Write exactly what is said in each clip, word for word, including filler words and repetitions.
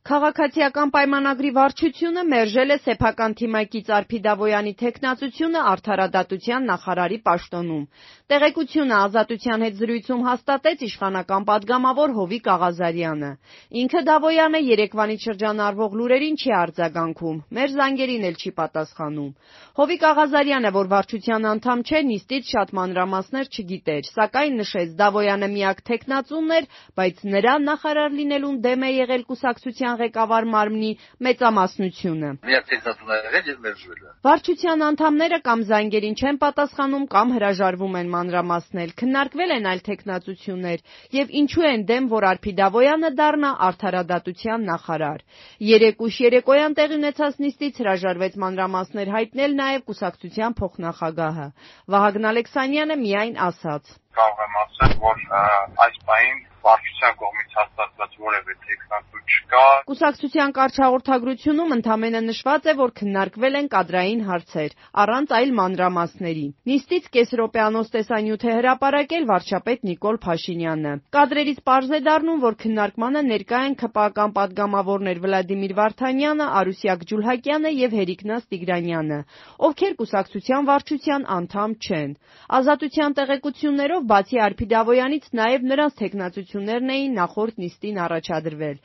Քաղաքացիական պայմանագրի վարչությունը մերժել է սեփական թիմակից Արփի Դավոյանի թեկնածությունը արդարադատության նախարարի պաշտոնում։ Տեղեկությունը Ազատության հետ զրույցում հաստատեց իշխանական պատգամավոր Հովիկ Աղազարյանը։ Ինքը Դավոյանը երեկվանից շրջանառվող լուրերին չի արձագանքում, մեր զանգերին էլ չի պատասխանում։ Հովիկ Աղազարյանը, որ վարչության անդամ չէ, նիստից շատ մանրամասներ չգիտեր, սակայն նշեց Դավոյանը միակ թեկնածուն էր, բայց նրա նախարար լինելուն դեմ է եղել կուսակցության ղեկավար մարմնի մեծամասնությունը։ Միակ թեկնածուն է եղել եւ մերժվել է։ Վարչության անդամները կամ զանգերին չեն պատասխանում, կամ հրաժարվում են մանրամասնել։ Քննարկվել են այլ թեկնածություններ եւ ինչու են դեմ, որ Արփի Դավոյանը դառնա արդարադատության նախարար։ Երեկ ուշ երեկոյան տեղի ունեցած նիստից հրաժարվեց մանրամասներ հայտնել նաեւ կուսակցության փոխնախագահը։ Վահագն Ալեքսանյանը միայն ասաց. Կարող եմ ասել, որ այս պահին վարչության կողմից հաստատված որևէ թեկնածու չկա։ Կուսակցության կարճ հաղորդագրությունում ընդամենը նշված է, որ քննարկվել են կադրային հարցեր, առանց այլ մանրամասների։ Նիստից կես րոպեանոց տեսանյութ է հրապարակել վարչապետ Նիկոլ Փաշինյանը։ Կադրերից պարզ է դառնում, որ քննարկմանը ներկա են ՔՊԱ-կան պատգամավորներ Վլադիմիր Վարդանյանը, Արուսյակ Ջուլհակյանը եւ Հերիկնաս Տիգրանյանը, ովքեր կուսակցության վարչության անդամ չեն։ Ազատության տեղեկություններով բացի Արփի Դավոյանից նաև նրանց թեկնածություններն էին նախորդ նիստին առաջադրվել,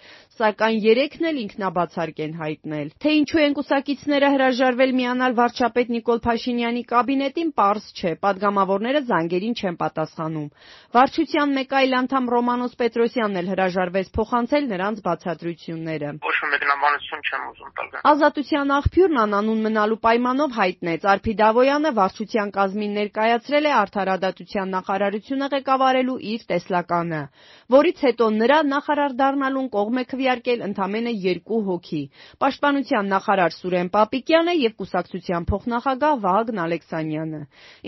սակայն երեքն էլ ինքնաբացարկ են հայտնել։ Թե ինչու են կուսակիցները հրաժարվել միանալ վարչապետ Նիկոլ Փաշինյանի կաբինետին, պարզ չէ, պատգամավորները զանգերին չեն պատասխանում։ Վարչության մեկ այլ անդամ Ռոմանոս Պետրոսյանն էլ հրաժարվեց փոխանցել նրանց բացատրությունները։ Ոչ մի մեկնաբանություն չեմ ուզում տալ։ Ազատության աղբյուրն անանուն մնալու պայմանով հայտնեց, Արփի Դավոյանը վարչության կազմին ներկայացրել է արդարադատության նախարարությունը ղեկավարելու իր տեսլականը, որից հետո նրա նախարար դառնալուն կողմ է քվեարկել ընդամենը երկու հոգի՝ Պաշտպանության նախարար Սուրեն Պապիկյանը եւ կուսակցության փոխնախագահ Վահագն Ալեքսանյանը։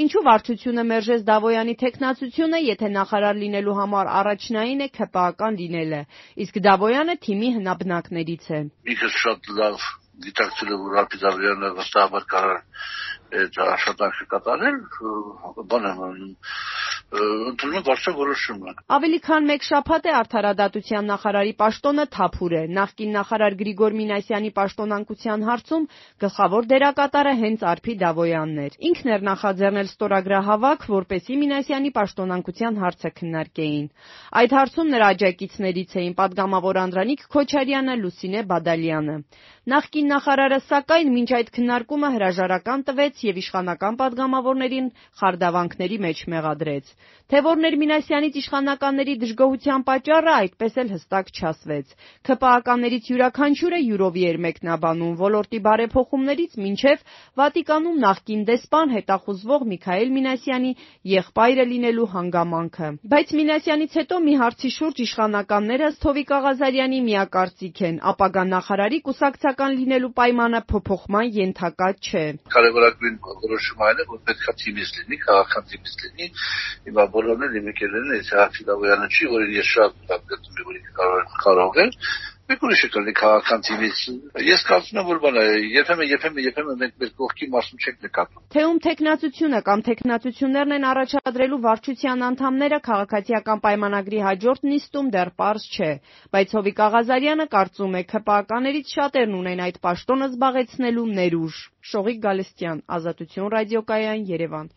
Ինչու վարչությունը մերժեց Դավոյանի թեկնածությունը, եթե նախարար լինելու համար առաջնային է ՔՊԱ-կան լինելը, իսկ Դավոյանը թիմի հնաբնակներից է։ Ինքս շատ լավ գիտակցել եմ, որ Արփի Դավոյանը վստահաբար կարող է աշխատանքը կատարել, բան եմ ընդունում եմ վարչության որոշումը։ Ավելի քան մեկ շաբաթ է արդարադատության նախարարի պաշտոնը թափուր է։ Նախկին նախարար Գրիգոր Մինասյանի պաշտոնանկության հարցում գլխավոր դերակատարը հենց Արփի Դավոյանն էր։ Ինքն էր նախաձեռնել ստորագրահավաք, որպեսզի Մինասյանի պաշտոնանկության հարցը քննարկեին։ Այդ հարցում նրա աջակիցներից էին պատգամավոր Անդրանիկ Քոչարյանը, Լուսինե Բադալյանը։ Նախկին նախարարը, սակայն, մինչ այդ քննարկումը հրաժարական տվեց եւ իշխանական պատգամավորներին խարդավանքների մեջ մեղադրեց։ Թե որներ Մինասյանից իշխանականների դժգոհության պատճառը, այդպես էլ հստակ չասվեց։ ՔՊԱ-ականներից յուրաքանչյուրը յուրովի էր մեկնաբանում, ոլորտի բարեփոխումներից մինչև Վատիկանում նախկին դեսպան հետախուզվող Միքայել Մինասյանի եղբայրը լինելու հանգամանքը։ Բայց Մինասյանից հետո մի հարցի շուրջ իշխանականները ըստ Հովիկ Աղազարյանի միակարծիք են՝ ապագա նախարարի կուսակցական լինելու պայմանը փոփոխման ենթակա չէ։ Կարևորագույն որոշումը այն է, որ պետքա թիմից լինի, քաղաքական թիմից լինի։ Հիմա բոլորն էլ իմեկել են, եթե Արփի Դավոյանը չի, որին ես շատ գտնում եմ, որ ինքը կարող է, մեկ ուրիշը կլինի քաղաքական թիմից։ Ես կարծում եմ, որ բանը երբեմն երբեմն երբեմն մենք մեր կողքի մասում չենք նկատում։ Թե ում թեկնածությունը կամ թեկնածություններն են առաջադրելու վարչության անդամները քաղաքացիական պայմանագրի հաջորդ նիստում դեռ պարզ չէ, բայց Հովիկ Աղազարյանը կարծում է ՔՊԱ-ականներից շատերն ունեն այդ պաշտոնը զբաղեցնելու ներուժ։ Շողիկ Գալստյան, Ազատություն ռադիոկայան, Երևան։